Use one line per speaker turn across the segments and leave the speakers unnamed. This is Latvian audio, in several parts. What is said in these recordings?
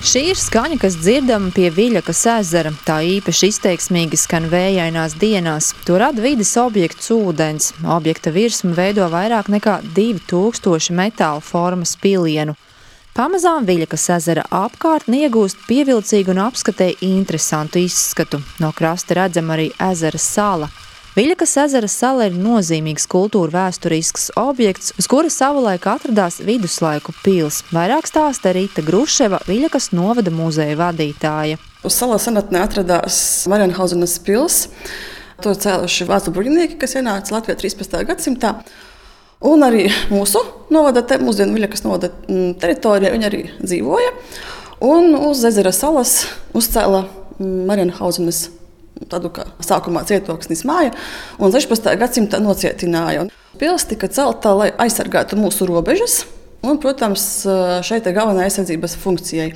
Šī ir skaņa, kas dzirdama pie Viļakas ezera. Tā īpaši izteiksmīgi skan vējainās dienās. To rada vides objekts ūdens. Objekta virsma veido vairāk nekā 2000 metāla formas pilienu. Pamazām Viļakas ezera apkārtne iegūst pievilcīgu un apskatē interesantu izskatu. No krasta redzama arī ezera sala. Viļakas ezera sala ir nozīmīgs kultūra vēsturisks objekts, uz kura savulaik atradās viduslaiku pils. Vairāk stāsta Rīta Gruševa, Viļakas novada muzeja vadītāja.
Uz salas senatnē atradās Marienhausenas pils. To cēluši vācu bruņinieki, kas ienāca Latvijā 13. gadsimtā. Un arī mūsu novada, mūsdienu Viļakas novada teritorijā viņi arī dzīvoja. Un uz ezera salas uzcēla Marienhausenas tādu kā sākumā cietoksnis māja, un 16. gadsimtā nocietināja. Pils tika celta, lai aizsargātu mūsu robežas, un, protams, šeit ir galvenā aizsardzības funkcijai.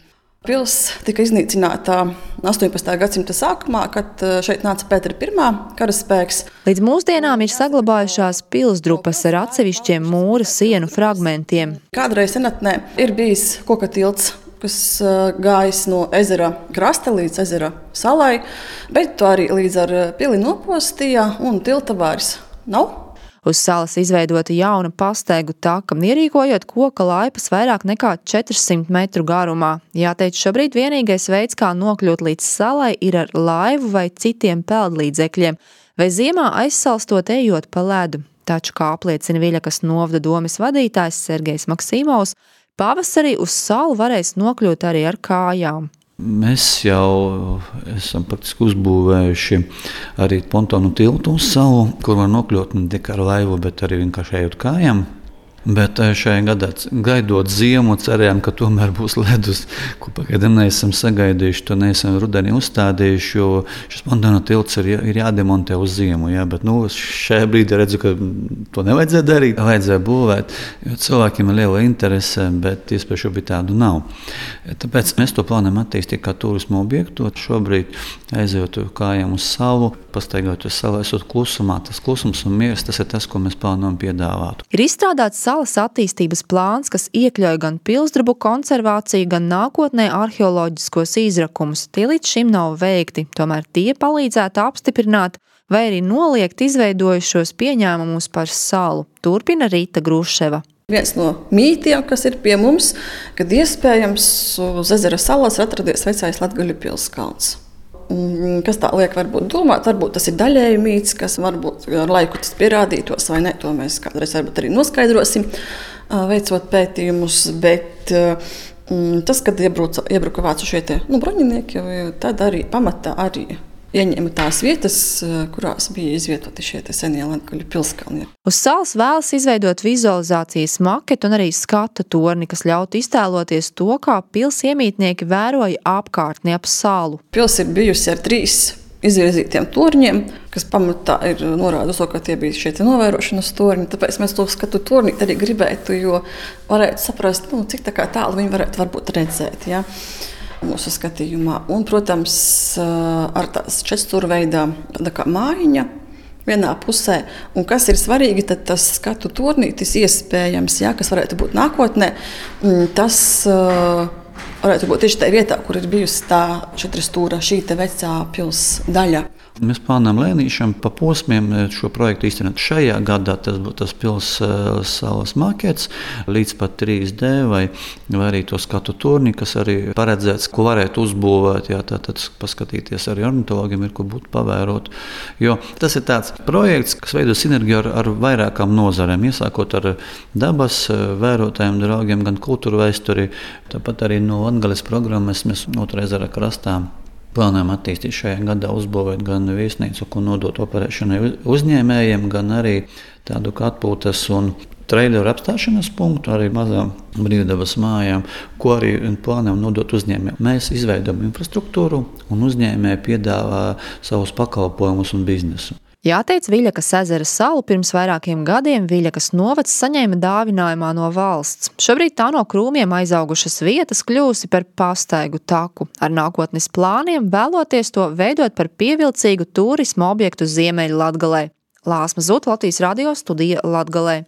Pils tika iznīcināta 18. gadsimta sākumā, kad šeit nāca Pētera I karaspēks.
Līdz mūsdienām ir saglabājušās pilsdrupas ar atsevišķiem mūra sienu fragmentiem.
Kādreiz senatnē ir bijis koka tilts, kas gājis no ezera krasta līdz ezera salai, bet to arī līdz ar pili nopostīja un tilta vairs nav.
Uz salas izveidota jauna pastaigu taka, ierīkojot koka laipas vairāk nekā 400 metru garumā. Jāteic, šobrīd vienīgais veids, kā nokļūt līdz salai, ir ar laivu vai citiem peldlīdzekļiem, vai ziemā aizsalstot ejot pa ledu. Taču, kā apliecina Viļakas novada domes vadītājs Sergejs Maksimovs, pavasarī uz salu varēs nokļūt arī ar kājām.
Mēs jau esam praktiski uzbūvējuši arī pontonu tiltu uz salu, kur var nokļūt ne tikai ar laivu, bet arī vienkārši ejot kājām. Bet šajā gadā, gaidot ziemu, cerējām, ka tomēr būs ledus, ko pagaidām neesam sagaidījuši, to neesam rudenī uzstādījuši, jo šis pontonu tilts ir jādemontē uz ziemu. Jā, bet šajā brīdī redzu, ka to nevajadzēja darīt, vajadzēja būvēt, jo cilvēkiem ir liela interese, bet iespēja šobrīd tādu nav. Tāpēc mēs to plānojam attīstīt kā turismu objektu. Šobrīd aizejot kājām uz salu, pastaigāt uz salu, esot klusumā. Tas klusums un miers, tas ir tas, ko mēs plānojam piedāvāt.
Ir izstrādāts salas attīstības plāns, kas iekļauj gan pilsdrubu konservāciju, gan nākotnē arheoloģiskos izrakumus. Tie līdz šim nav veikti, tomēr tie palīdzētu apstiprināt vai arī noliegt izveidojušos pieņēmumus par salu. Turpina Rīta Gruševa.
Viens no mītiem, kas ir pie mums, kad iespējams uz ezera salas atradies vecais Latgaļu pilskalns. Kas tā liek varbūt domāt, varbūt tas ir daļēji mīts, kas varbūt ar laiku tas pierādītos vai ne, to mēs kādreiz varbūt arī noskaidrosim, veicot pētījumus, bet tas, kad iebruka vācu šie bruņinieki, tad arī pamatā arī ieņēma tās vietas, kurās bija izvietoti šie senie Latgaļu pilskalni.
Uz salas vēlas izveidot vizualizācijas maketu un arī skatu torni, kas ļautu iztēloties to, kā pils iemītnieki vēroja apkārtni ap salu.
Pils ir bijusi ar 3 izvirzītiem torņiem, kas pamatā ir norāda uz to, ka tie bija šie novērošanas torņi. Tāpēc mēs to skatu torni arī gribētu, jo varētu saprast, cik tālu viņi varētu varbūt redzēt. Ja? Mūsu skatījumā. Un, protams, ar tās 4-stūrveidā mājiņa vienā pusē. Un kas ir svarīgi, tad tas skatu tornītis iespējams, kas varētu būt nākotnē, tas varētu būt tieši tajā vietā, kur ir bijusi tā 4-stūra šī vecā pils daļa.
Mēs plānojam lēnīšām pa posmiem šo projektu īstenot. Šajā gadā tas būtu tas pils salas makets līdz pat 3D vai arī to skatu torni, kas arī paredzēts, ko varētu uzbūvēt. Jā, tātad paskatīties arī ornitologiem ir, ko būtu pavērot. Jo tas ir tāds projekts, kas veido sinerģiju ar vairākām nozarēm, iesākot ar dabas vērotājiem, draugiem, gan kultūru vēsturi. Tāpat arī no Latgales programmas mēs Otrā ezera krastā plānojam attīstīt šajā gadā, uzbūvēt gan viesnīcu, ko nodot operēšanai uzņēmējiem, gan arī tādu kā atpūtas un traileru apstāšanās punktu, arī mazām brīvdabas mājām, ko arī plānojam nodot uzņēmējiem. Mēs izveidojam infrastruktūru un uzņēmēji piedāvā savus pakalpojumus un biznesu.
Jāteic, Viļakas ezera salu pirms vairākiem gadiem Viļakas novads saņēma dāvinājumā no valsts. Šobrīd tā no krūmiem aizaugušas vietas kļūsi par pastaigu taku. Ar nākotnes plāniem vēloties to veidot par pievilcīgu turisma objektu Ziemeļlatgalē. Lāsma Zut, Latvijas radio studija Latgalē.